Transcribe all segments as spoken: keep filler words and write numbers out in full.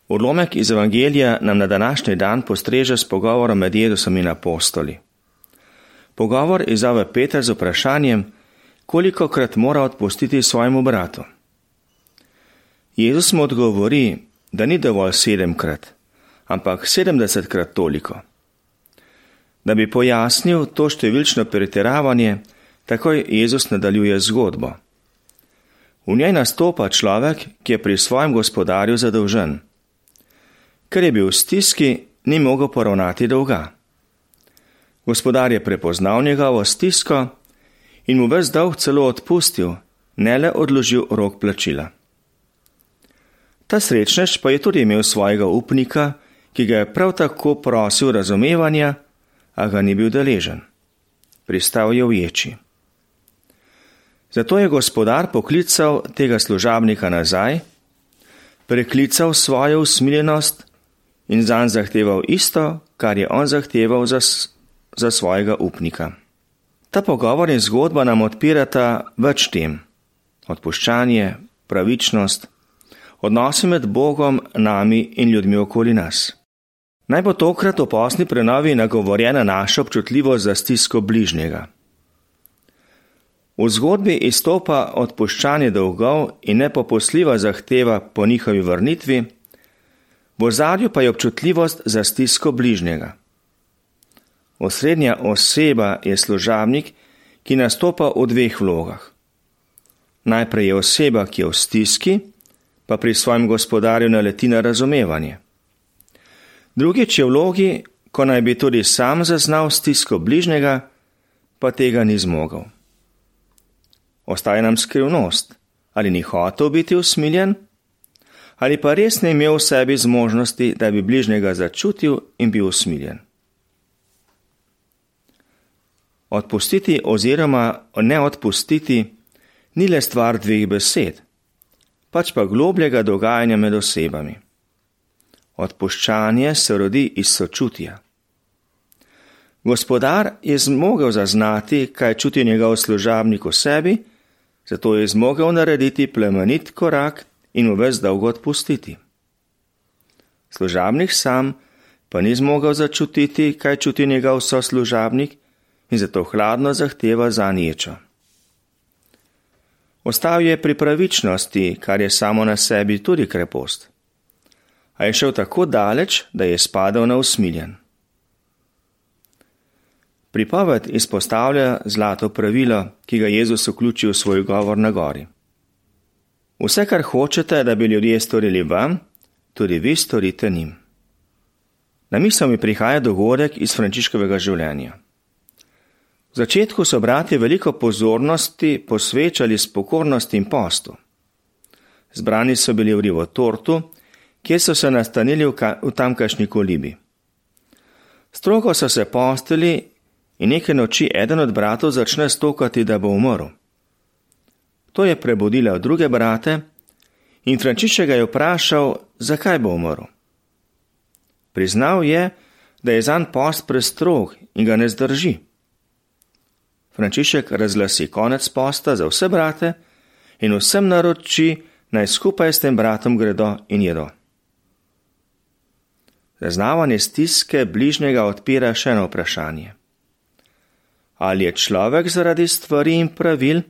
Odlomek iz Evangelija nam na današnji dan postreže s pogovorom med Jezusom in apostoli. Pogovor izzove Peter z vprašanjem, kolikokrat mora odpustiti svojemu bratu. Jezus mu odgovori, da ni dovolj sedemkrat, ampak sedemdesetkrat toliko. Da bi pojasnil to številčno pretiravanje, takoj Jezus nadaljuje zgodbo. V njej nastopa človek, ki je pri svojem gospodarju zadolžen. Ker je bil v stiski, ni mogel poravnati dolga. Gospodar je prepoznal njegovo stisko in mu ves dolg celo odpustil, ne le odložil rok plačila. Ta srečnež pa je tudi imel svojega upnika, ki ga je prav tako prosil razumevanja, a ga ni bil deležen. Pristal je v ječi. Zato je gospodar poklical tega služabnika nazaj, preklical svojo usmiljenost in zanj zahteval isto, kar je on zahteval za, za svojega upnika. Ta pogovor in zgodba nam odpirata več tem. Odpuščanje, pravičnost, odnosi med Bogom, nami in ljudmi okoli nas. Naj bo tokrat v posni prenovi nagovorjena naša občutljivost za stisko bližnjega. V zgodbi izstopa odpuščanje dolgov in nepopustljiva zahteva po njihovi vrnitvi, v ozadju pa je občutljivost za stisko bližnjega. Osrednja oseba je služabnik, ki nastopa v dveh vlogah. Najprej je oseba, ki je v stiski, pa pri svojem gospodarju naleti na razumevanje. Drugič je v vlogi, ko naj bi tudi sam zaznal stisko bližnjega, pa tega ni zmogel. Ostaje nam skrivnost, ali ni hotel biti usmiljen, ali pa res ne imel v sebi zmožnosti, da bi bližnjega začutil in bil usmiljen. Odpustiti oziroma ne odpustiti ni le stvar dveh besed, pač pa globljega dogajanja med osebami. Odpuščanje se rodi iz sočutja. Gospodar je zmogel zaznati, kaj čuti njegov služabnik v sebi, zato je zmogel narediti plemenit korak in mu ves dolgo odpustiti. Služabnik sam pa ni zmogel začutiti, kaj čuti njegov soslužabnik in zato hladno zahteva zanj ječo. Ostal je pri pravičnosti, kar je samo na sebi tudi krepost. A je šel tako daleč, da je spadal na usmiljen. Pripoved izpostavlja zlato pravilo, ki ga Jezus vključi v svoj govor na gori. Vse, kar hočete, da bi ljudje storili vam, tudi vi storite njim. Na misel mi prihaja dogodek iz Frančiškovega življenja. V začetku so bratje veliko pozornosti posvečali spokornosti in postu. Zbrani so bili v Rivotortu, kjer so se nastanili v, v tamkajšnji kolibi. Strogo so se postili in neke noči eden od bratov začne stokati, da bo umrl. To je prebudilo druge brate in Frančišek ga je vprašal, zakaj bo umrl. Priznal je, da je zanj post prestrog in ga ne zdrži. Frančišek razglasi konec posta za vse brate in vsem naroči, naj skupaj s tem bratom gredo in jedo. Zaznavanje stiske bližnjega odpira še eno vprašanje. Ali je človek zaradi stvari in pravil,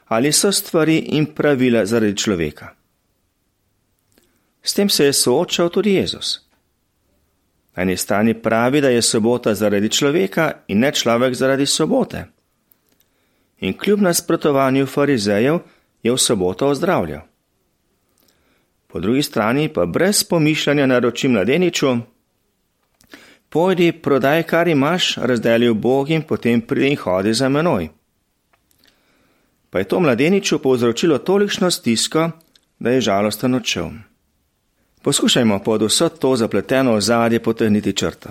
ali so stvari in pravila zaradi človeka? S tem se je soočal tudi Jezus. Na eni strani pravi, da je sobota zaradi človeka in ne človek zaradi sobote. In kljub nasprotovanju farizejev je v soboto ozdravljal. Po drugi strani pa brez pomišljanja naroči mladeniču, pojdi, prodaj, kar imaš, razdeli ubogim, potem pridi in hodi za menoj. Pa je to mladeniču povzročilo tolikšno stisko, da je žalosten odšel. Poskušajmo pod vso to zapleteno ozadje potegniti črto.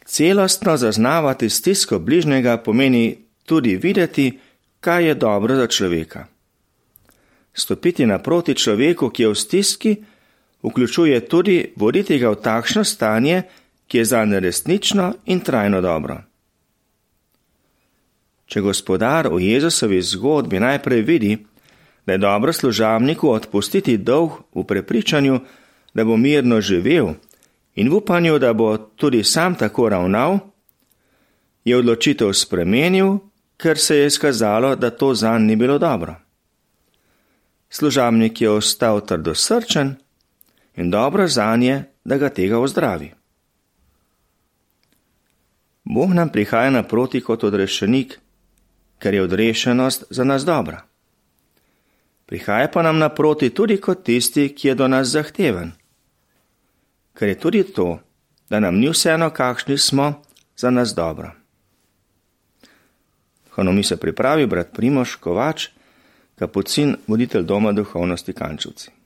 Celostno zaznavati stisko bližnjega pomeni tudi videti, kaj je dobro za človeka. Stopiti naproti človeku, ki je v stiski, vključuje tudi voditi ga v takšno stanje, ki je zanj resnično in trajno dobro. Če gospodar v Jezusovi zgodbi najprej vidi, da je dobro služabniku odpustiti dolg v prepričanju, da bo mirno živel in v upanju, da bo tudi sam tako ravnal, je odločitev spremenil, ker se je izkazalo, da to zanj ni bilo dobro. Služabnik je ostal trdosrčen in dobro zanje, da ga tega ozdravi. Bog nam prihaja naproti kot odrešenik, ker je odrešenost za nas dobra. Prihaja pa nam naproti tudi kot tisti, ki je do nas zahteven, ker je tudi to, da nam ni vseeno, kakšni smo, za nas dobro. Duhovno se pripravi brat Primož Kovač, kapucin, voditelj Doma duhovnosti Kančevci.